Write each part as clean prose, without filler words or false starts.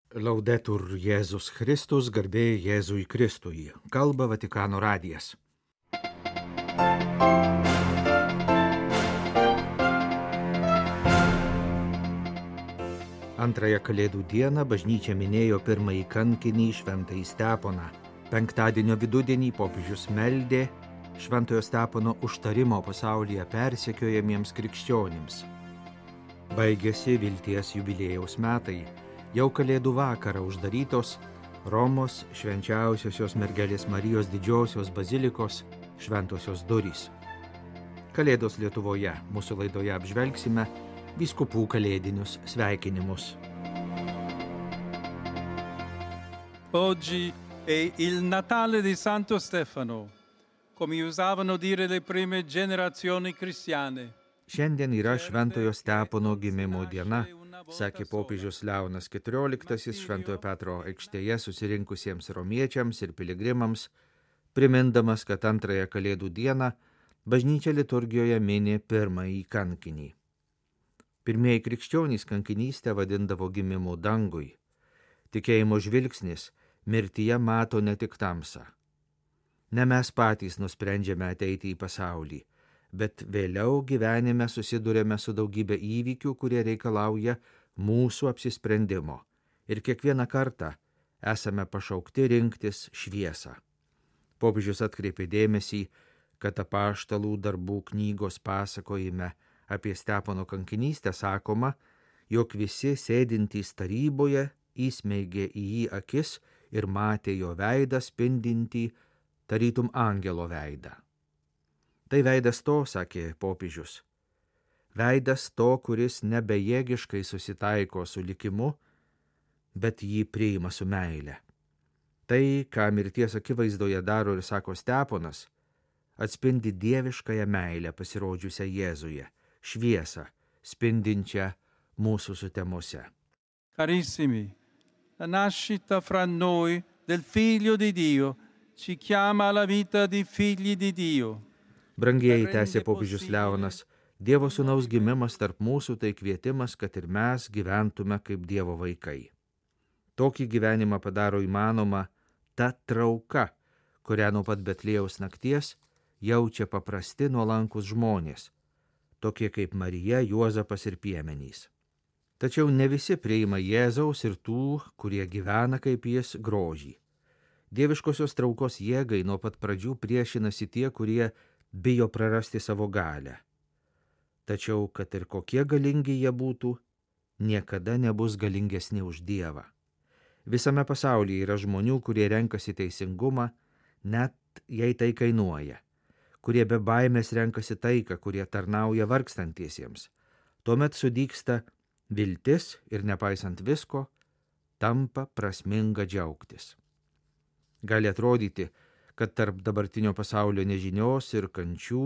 Laudetur Jėzus Kristus, garbė Jėzui Kristui. Kalba Vatikano radijas. Antrąją Kalėdų dieną bažnyčia minėjo pirmąjį kankinį Šventąjį Steponą. Penktadienio vidudienį popiežius meldė Šventojo Stepono užtarimo pasaulyje persekiojamiems krikščionims. Baigėsi vilties jubiliejaus metai. Jau Kalėdų vakarą uždarytos Romos švenčiausiosios mergelės Marijos didžiosios bazilikos šventosios durys. Kalėdos Lietuvoje mūsų laidoje apžvelgsime vyskupų kalėdinius sveikinimus. Oggi è il Natale di Santo Stefano, come usavano dire le prime generazioni cristiane. Šiandien yra Šventojo Stepono gimimo diena, sakė popiežius Leonas XIV Šventojo Petro aikštėje susirinkusiems romiečiams ir piligrimams, primindamas, kad antrąją Kalėdų dieną bažnyčia liturgijoje mini pirmąjį kankinį. Pirmieji krikščionys kankinystę vadindavo gimimu dangui. Tikėjimo žvilgsnis mirtyje mato ne tik tamsą. Ne mes patys nusprendžiame ateiti į pasaulį, bet vėliau gyvenime susidurėme su daugybė įvykių, kurie reikalauja mūsų apsisprendimo. Ir kiekvieną kartą esame pašaukti rinktis šviesą. Popiežius atkreipė dėmesį, kad apaštalų darbų knygos pasakojime apie Stepono kankinystę sakoma, jog visi sėdintys taryboje įsmeigė į jį akis ir matė jo veidą spindintį tarytum angelo veidą. Tai veidas to, sakė popiežius, veidas to, kuris nebejėgiškai susitaiko su likimu, bet jį priima su meile. Tai, ką mirties akivaizdoje daro ir sako Steponas, atspindi dieviškąją meilę pasirodžiusią Jėzuje, šviesą, spindinčią mūsų sutemose. Carissimi, la nascita fra noi del Figlio di Dio ci chiama alla vita di figli di Dio. Brangieji, tęsė popiežius Leonas, Dievo sūnaus gimimas tarp mūsų tai kvietimas, kad ir mes gyventume kaip Dievo vaikai. Tokį gyvenimą padaro įmanoma ta trauka, kurią nuo pat Betliejaus nakties jaučia paprasti nuolankus žmonės, tokie kaip Marija, Juozapas ir piemenys. Tačiau ne visi priima Jėzaus ir tų, kurie gyvena kaip jis, grožį. Dieviškosios traukos jėgai nuo pat pradžių priešinasi tie, kurie bijo prarasti savo galią. Tačiau, kad ir kokie galingi jie būtų, niekada nebus galingesni už Dievą. Visame pasaulyje yra žmonių, kurie renkasi teisingumą, net jei tai kainuoja, kurie be baimės renkasi taiką, kurie tarnauja vargstantiesiems. Tuomet sudygsta viltis ir nepaisant visko, tampa prasminga džiaugtis. Gali atrodyti, kad tarp dabartinio pasaulio nežinios ir kančių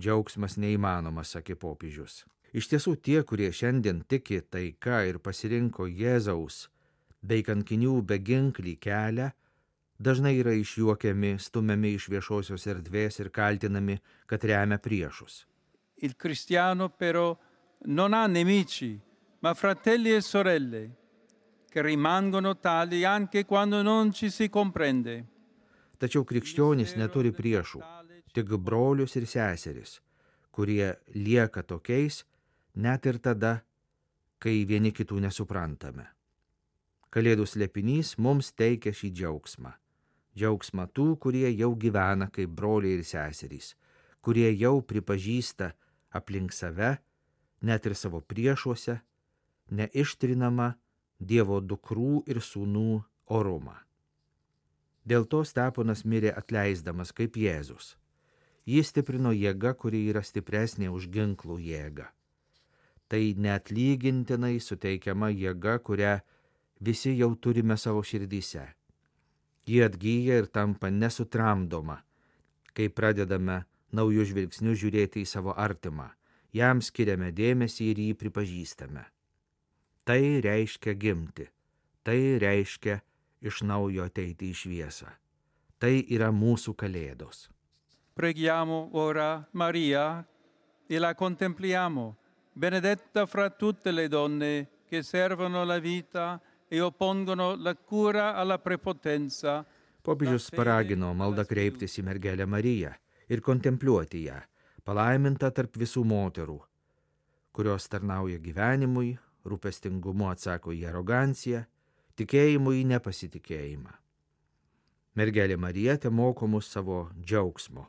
džiaugsmas neįmanomas, sakė popiežius. Iš tiesų tie, kurie šiandien tiki taika ir pasirinko Jėzaus bei kankinių beginklį kelią, dažnai yra išjuokiami, stumiami iš viešosios erdvės ir kaltinami, kad remia priešus. Il cristiano però non ha nemici, ma fratelli e sorelle, che rimangono tali anche quando non ci si comprende. Tačiau krikščionys neturi priešų, tik brolius ir seseris, kurie lieka tokiais net ir tada, kai vieni kitų nesuprantame. Kalėdų slėpinys mums teikia šį džiaugsmą. Džiaugsmą tų, kurie jau gyvena kaip broliai ir seserys, kurie jau pripažįsta aplink save, net ir savo priešuose, neištrinamą Dievo dukrų ir sūnų orumą. Dėl to Steponas mirė atleisdamas kaip Jėzus. Jį stiprino jėga, kuri yra stipresnė už ginklų jėgą. Tai neatlygintinai suteikiama jėga, kurią visi jau turime savo širdyse. Ji atgyja ir tampa nesutramdoma, kai pradedame naujų žvilgsnių žiūrėti į savo artimą, jam skiriame dėmesį ir jį pripažįstame. Tai reiškia gimti, tai reiškia iš naujo ateiti į šviesą. Tai yra mūsų kalėdos. Preghiamo ora Maria e la contempliamo, benedetta fra tutte le donne che servono la vita e oppongono la cura alla prepotenza. Popiežius paragino maldą kreiptis į mergelę Mariją ir kontempliuoti ją, palaimintą tarp visų moterų, kurios tarnauja gyvenimui, rūpestingumu atsako į aroganciją, tikėjimu į nepasitikėjimą. Mergelė Marija te moko mus savo džiaugsmo,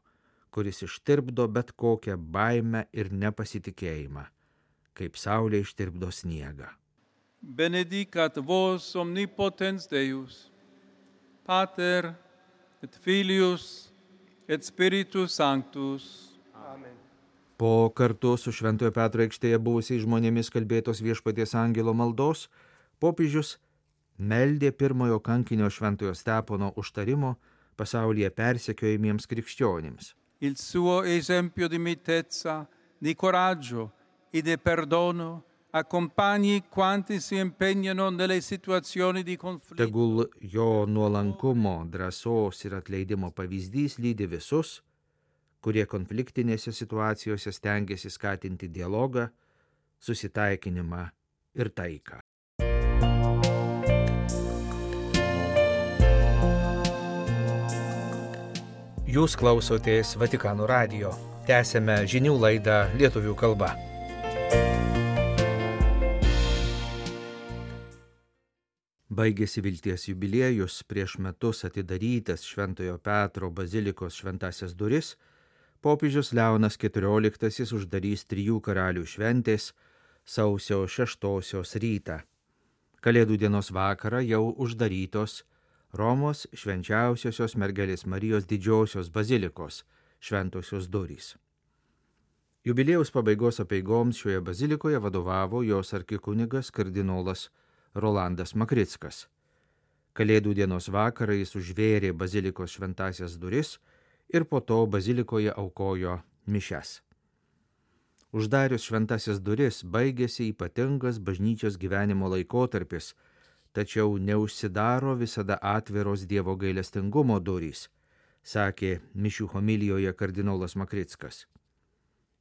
kuris ištirpdo bet kokią baimę ir nepasitikėjimą, kaip saulė ištirpdo sniegą. Benedicat vos omnipotens Deus, Pater et Filius et Spiritus Sanctus. Amen. Po kartu su Šventojo Petro aikštėje buvusiais žmonėmis kalbėtos Viešpaties angelo maldos, popiežius meldė pirmojo kankinio Šventojo Stepono užtarimo pasaulyje persekiojamiems krikščionims. Il suo esempio di mitezza, di coraggio e di perdono accompagni quanti si impegnano nelle situazioni di conflitto. Tegul jo nuolankumo, drąsos ir atleidimo pavyzdys lydi visus, kurie konfliktinėse situacijose stengiasi skatinti dialogą, susitaikinimą ir taiką. Jūs klausotės Vatikano radijo. Tęsėme žinių laidą lietuvių kalba. Baigėsi vilties jubiliejus, prieš metus atidarytas Šventojo Petro bazilikos šventasias duris, popiežius Leonas XIV uždarys 3 karalių šventės sausio 6 rytą. Kalėdų dienos vakarą jau uždarytos Romos švenčiausiosios mergelės Marijos didžiosios bazilikos šventosios durys. Jubiliejaus pabaigos apeigoms šioje bazilikoje vadovavo jos arkikunigas kardinolas Rolandas Makrickas. Kalėdų dienos vakarą jis užvėrė bazilikos šventasias duris ir po to bazilikoje aukojo mišias. Uždarius šventasias duris baigėsi ypatingas bažnyčios gyvenimo laikotarpis, tačiau neužsidaro visada atviros Dievo gailestingumo durys, sakė mišių homilijoje kardinolas Makrickas.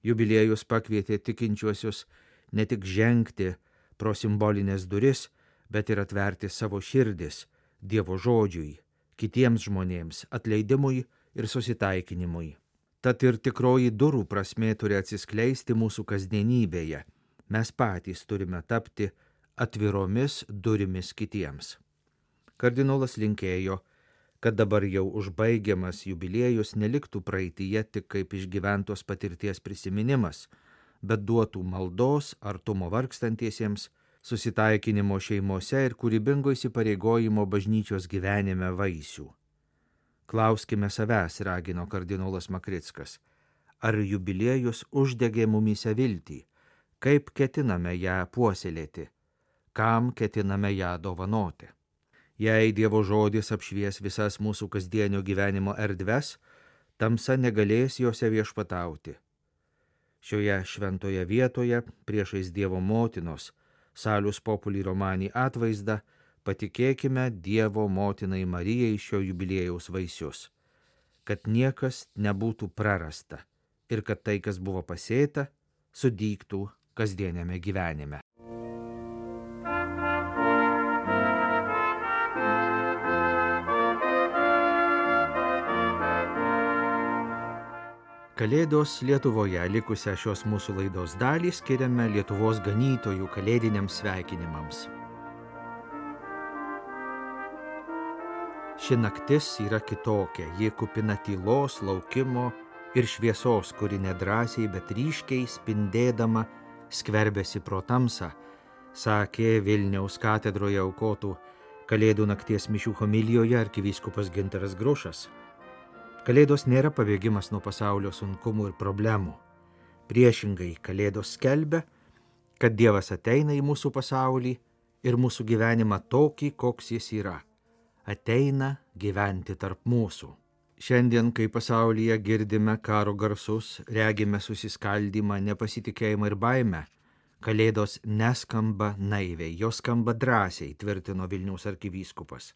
Jubiliejus pakvietė tikinčiuosius ne tik žengti pro simbolinės duris, bet ir atverti savo širdis Dievo žodžiui, kitiems žmonėms, atleidimui ir susitaikinimui. Tad ir tikroji durų prasmė turi atsiskleisti mūsų kasdienybėje. Mes patys turime tapti atviromis durimis kitiems. Kardinolas linkėjo, kad dabar jau užbaigiamas jubiliejus neliktų praeityje tik kaip išgyventos patirties prisiminimas, bet duotų maldos, artumo vargstantiesiems, susitaikinimo šeimose ir kūrybingo įsipareigojimo bažnyčios gyvenime vaisių. Klauskime savęs, ragino kardinolas Makrickas, ar jubiliejus uždegė mumyse viltį, kaip ketiname ją puoselėti, kam ketiname ją dovanoti. Jei Dievo žodis apšvies visas mūsų kasdienio gyvenimo erdves, tamsa negalės jose viešpatauti. Šioje šventoje vietoje, priešais Dievo motinos, Salus Populi Romani atvaizdą, patikėkime Dievo motinai Marijai šio jubiliejaus vaisius, kad niekas nebūtų prarasta ir kad tai, kas buvo pasėta, sudygtų kasdieniame gyvenime. Kalėdos Lietuvoje likusią šios mūsų laidos dalį skiriame Lietuvos ganytojų kalėdiniams sveikinimams. Ši naktis yra kitokia, ji kupina tylos, laukimo ir šviesos, kuri nedrąsiai, bet ryškiai spindėdama skverbėsi pro tamsą, sakė Vilniaus katedroje aukotų Kalėdų nakties mišių homilijoje arkivyskupas Gintaras Grušas. Kalėdos nėra pabėgimas nuo pasaulio sunkumų ir problemų. Priešingai, Kalėdos skelbia, kad Dievas ateina į mūsų pasaulį ir mūsų gyvenimą tokį, koks jis yra. Ateina gyventi tarp mūsų. Šiandien, kai pasaulyje girdime karo garsus, regime susiskaldymą, nepasitikėjimą ir baimę, Kalėdos neskamba naiviai, jos skamba drąsiai, tvirtino Vilniaus arkivyskupas.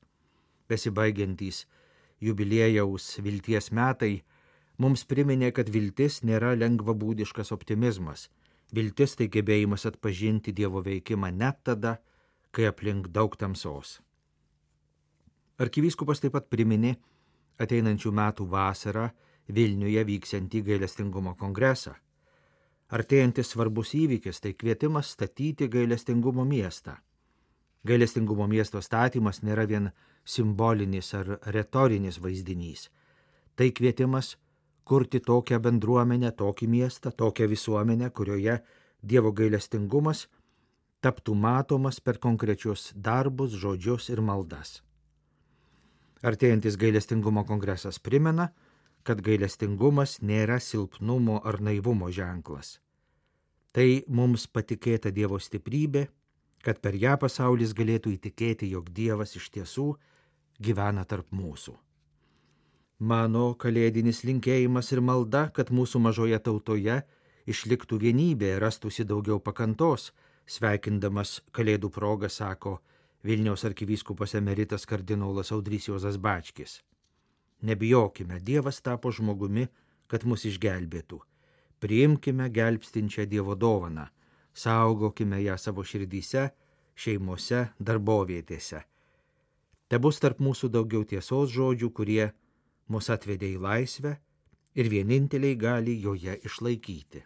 Besibaigiantys jubiliejaus vilties metai mums priminė, kad viltis nėra lengvabūdiškas optimizmas. Viltis tai gebėjimas atpažinti Dievo veikimą net tada, kai aplink daug tamsos. Arkivyskupas taip pat priminė ateinančių metų vasarą Vilniuje vyksiantį gailestingumo kongresą. Artėjantis svarbus įvykis tai kvietimas statyti gailestingumo miestą. Gailestingumo miesto statymas nėra vien simbolinis ar retorinis vaizdinys. Tai kvietimas kurti tokią bendruomenę, tokį miestą, tokią visuomenę, kurioje Dievo gailestingumas taptų matomas per konkrečius darbus, žodžius ir maldas. Artėjantis gailestingumo kongresas primena, kad gailestingumas nėra silpnumo ar naivumo ženklas. Tai mums patikėta Dievo stiprybė, kad per ją pasaulis galėtų įtikėti, jog Dievas iš tiesų gyvena tarp mūsų. Mano kalėdinis linkėjimas ir malda, kad mūsų mažoje tautoje išliktų vienybė, rastųsi daugiau pakantos, sveikindamas kalėdų progą, sako Vilniaus arkivyskupas emeritas kardinolas Audrys Juozas Bačkis. Nebijokime, Dievas tapo žmogumi, kad mus išgelbėtų. Priimkime gelbstinčią Dievo dovaną, saugokime ją savo širdyse, šeimose, darbovietėse. Te bus tarp mūsų daugiau tiesos žodžių, kurie mus atvedė į laisvę ir vieninteliai gali joje išlaikyti.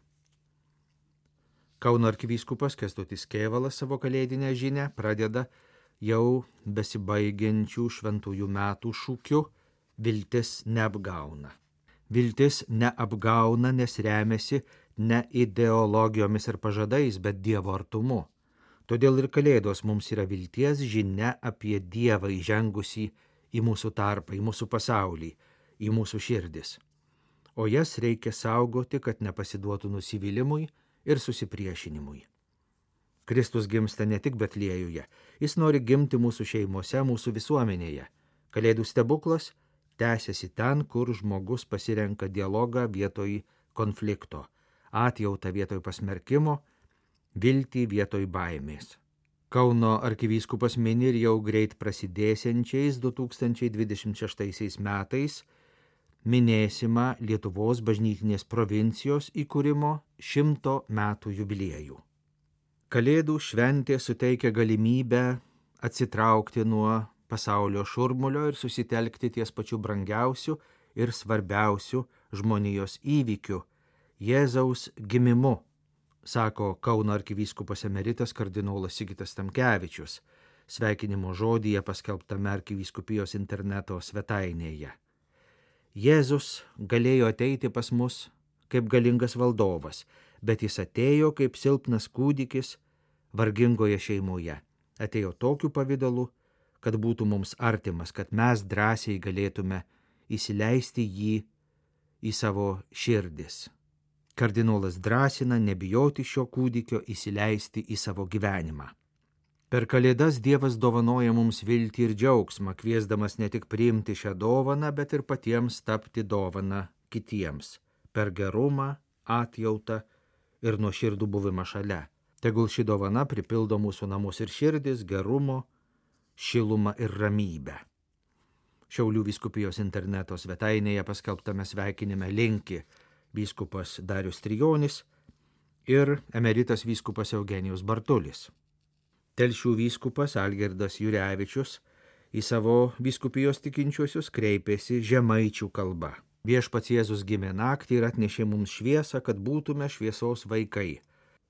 Kauno arkivyskupas Kęstutis Kėvalas savo kalėdinę žinią pradeda jau besibaigiančių šventųjų metų šūkiu viltis neapgauna. Viltis neapgauna, nes remiasi ne ideologijomis ir pažadais, bet Dievo artumu. Todėl ir kalėdos mums yra vilties žinia apie Dievą įžengusį į mūsų tarpą, į mūsų pasaulį, į mūsų širdis. O jas reikia saugoti, kad nepasiduotų nusivylimui ir susipriešinimui. Kristus gimsta ne tik Betliejuje, jis nori gimti mūsų šeimose, mūsų visuomenėje. Kalėdų stebuklas tęsiasi ten, kur žmogus pasirenka dialogą vietoj konflikto, atjautą vietoj pasmerkimo, viltį vietoj baimės. Kauno arkivyskupas mini ir jau greit prasidėsiančiais 2026 metais minėsimą Lietuvos bažnytinės provincijos įkūrimo 100 metų jubiliejų. Kalėdų šventė suteikia galimybę atsitraukti nuo pasaulio šurmulio ir susitelkti ties pačiu brangiausiu ir svarbiausiu žmonijos įvykiu – Jėzaus gimimu, sako Kauno arkivyskupas emeritas kardinolas Sigitas Tamkevičius, sveikinimo žodyje paskelbtame arkivyskupijos interneto svetainėje. Jėzus galėjo ateiti pas mus kaip galingas valdovas, bet jis atėjo kaip silpnas kūdikis vargingoje šeimoje. Atėjo tokiu pavidalu, kad būtų mums artimas, kad mes drąsiai galėtume įsileisti jį į savo širdis. Kardinolas drąsina nebijoti šio kūdikio įsileisti į savo gyvenimą. Per Kalėdas Dievas dovanoja mums viltį ir džiaugsmą, kviesdamas ne tik priimti šią dovaną, bet ir patiems tapti dovaną kitiems, per gerumą, atjautą ir nuoširdų buvimą šalia. Tegul ši dovana pripildo mūsų namus ir širdis gerumo, šilumą ir ramybę. Šiaulių vyskupijos interneto svetainėje paskelbtame sveikinime linki vyskupas Darius Trijonis ir emeritas vyskupas Eugenijus Bartulis. Telšių vyskupas Algirdas Jurevičius į savo vyskupijos tikinčiuosius kreipėsi žemaičių kalba. Viešpats Jėzus gimė naktį ir atnešė mums šviesą, kad būtume šviesos vaikai.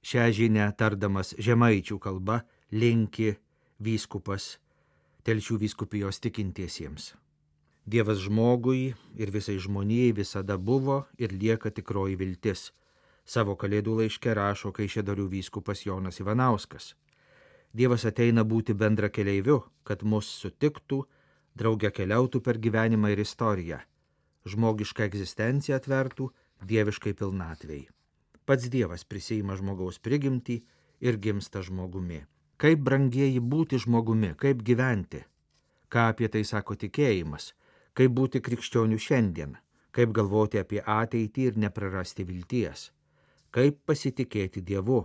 Šią žinią tardamas žemaičių kalba linki vyskupas Telšių vyskupijos tikintiesiems. Dievas žmogui ir visai žmonijai visada buvo ir lieka tikroji viltis. Savo kalėdų laiške rašo Kaišiadorių vyskupas Jonas Ivanauskas. Dievas ateina būti bendra keleiviu, kad mus sutiktų, drauge keliautų per gyvenimą ir istoriją. Žmogišką egzistenciją atvertų dieviškai pilnatvei. Pats Dievas prisiima žmogaus prigimtį ir gimsta žmogumi. Kaip brangieji būti žmogumi, kaip gyventi? Ką apie tai sako tikėjimas? Kaip būti krikščionių šiandien? Kaip galvoti apie ateitį ir neprarasti vilties? Kaip pasitikėti Dievu?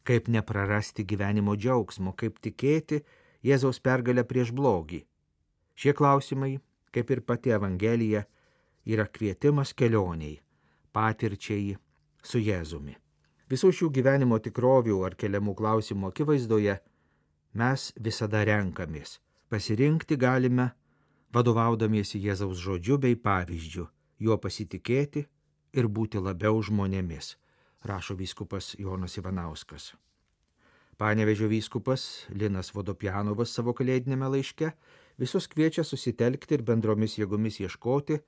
Kaip neprarasti gyvenimo džiaugsmo? Kaip tikėti Jėzaus pergalę prieš blogį? Šie klausimai, kaip ir pati Evangelija, yra kvietimas kelioniai, patirčiai su Jėzumi. Visų šių gyvenimo tikrovių ar keliamų klausimų akivaizdoje mes visada renkamės. Pasirinkti galime, vadovaudamiesi Jėzaus žodžiu bei pavyzdžiu, juo pasitikėti ir būti labiau žmonėmis, rašo vyskupas Jonas Ivanauskas. Panevėžio vyskupas Linas Vodopjanovas savo kalėdinėme laiške visus kviečia susitelkti ir bendromis jėgomis ieškoti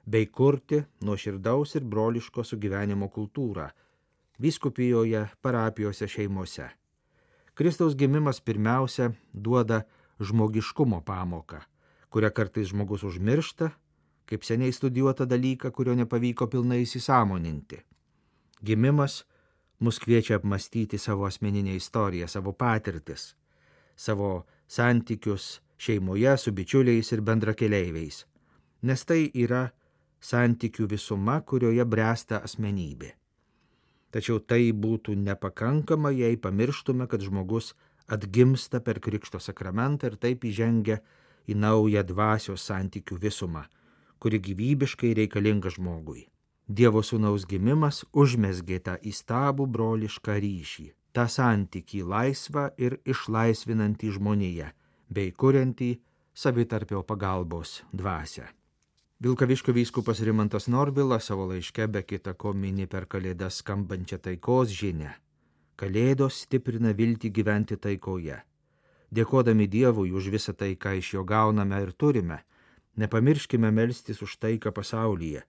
bei kurti nuoširdaus ir broliško sugyvenimo kultūrą vyskupijoje, parapijose, šeimose. Kristaus gimimas pirmiausia duoda žmogiškumo pamoką, kurią kartais žmogus užmiršta, kaip seniai studijuotą dalyką, kurio nepavyko pilnai įsisąmoninti. Gimimas mus kviečia apmastyti savo asmeninę istoriją, savo patirtis, savo santykius šeimoje su bičiuliais ir bendrakeleiviais, nes tai yra santykių visuma, kurioje bręsta asmenybė. Tačiau tai būtų nepakankama, jei pamirštume, kad žmogus atgimsta per Krikšto sakramentą ir taip įžengia į naują dvasios santykių visumą, kuri gyvybiškai reikalinga žmogui. Dievo sūnaus gimimas užmezgė tą įstabų brolišką ryšį, tą santykį laisvą ir išlaisvinantį žmoniją, bei kuriantį savitarpio pagalbos dvasią. Vilkaviškio vyskupas Rimantas Norvilas savo laiške be kita ko mini per Kalėdas skambančią taikos žinią. Kalėdos stiprina viltį gyventi taikoje. Dėkodami Dievui už visą tai, ką iš jo gauname ir turime, nepamirškime melstis už taiką pasaulyje,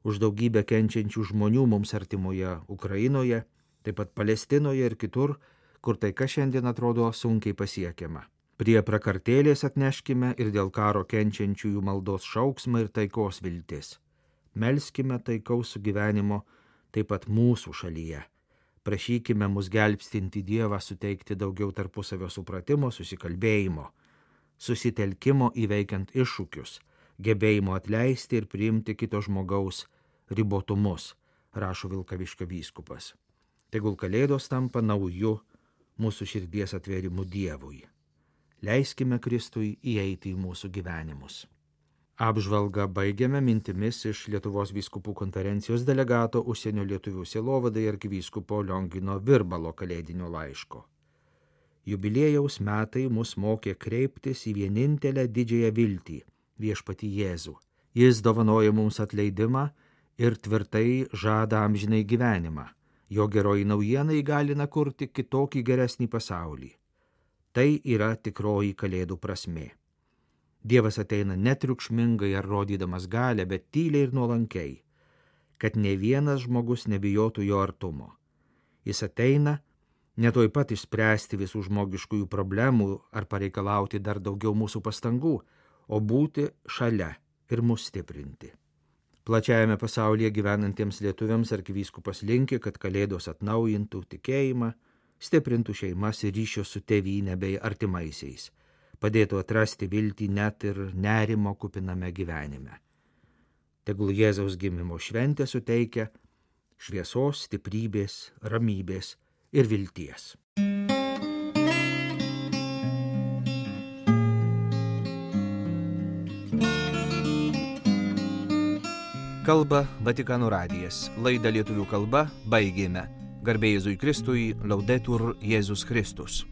už daugybę kenčiančių žmonių mums artimoje Ukrainoje, taip pat Palestinoje ir kitur, kur taika šiandien atrodo sunkiai pasiekiama. Prie prakartėlės atneškime ir dėl karo kenčiančiųjų maldos šauksmą ir taikos viltis. Melskime taikaus sugyvenimo taip pat mūsų šalyje. Prašykime mus gelbstinti Dievą suteikti daugiau tarpusavio supratimo, susikalbėjimo, susitelkimo įveikiant iššūkius, gebėjimo atleisti ir priimti kito žmogaus ribotumus, rašo Vilkaviškio vyskupas. Tegul Kalėdos tampa nauju mūsų širdies atvėrimu Dievui. Leiskime Kristui įeiti į mūsų gyvenimus. Apžvalgą baigiame mintimis iš Lietuvos vyskupų konferencijos delegato užsienio lietuvių sielovadai arkivyskupo Liongino Virbalo kalėdinio laiško. Jubiliejaus metai mus mokė kreiptis į vienintelę didžiąją viltį – viešpatį Jėzų. Jis dovanoja mums atleidimą ir tvirtai žada amžinai gyvenimą. Jo geroji naujiena įgalina kurti kitokį geresnį pasaulį. Tai yra tikroji Kalėdų prasmė. Dievas ateina netriukšmingai ar rodydamas galią, bet tyliai ir nuolankiai, kad ne vienas žmogus nebijotų jo artumo. Jis ateina ne tuoj pat išspręsti visų žmogiškųjų problemų ar pareikalauti dar daugiau mūsų pastangų, o būti šalia ir mus stiprinti. Plačiajame pasaulyje gyvenantiems lietuviams arkivyskupas linki, kad Kalėdos atnaujintų tikėjimą, stiprintų šeimas ir ryšius su tėvyne bei artimaisiais, padėtų atrasti viltį net ir nerimo kupiname gyvenime. Tegul Jėzaus gimimo šventė suteikia šviesos, stiprybės, ramybės ir vilties. Kalba Vatikano radijas. Laidą lietuvių kalba baigėme. Garbė Jėzui Kristui, Laudetur Jėzus Kristus.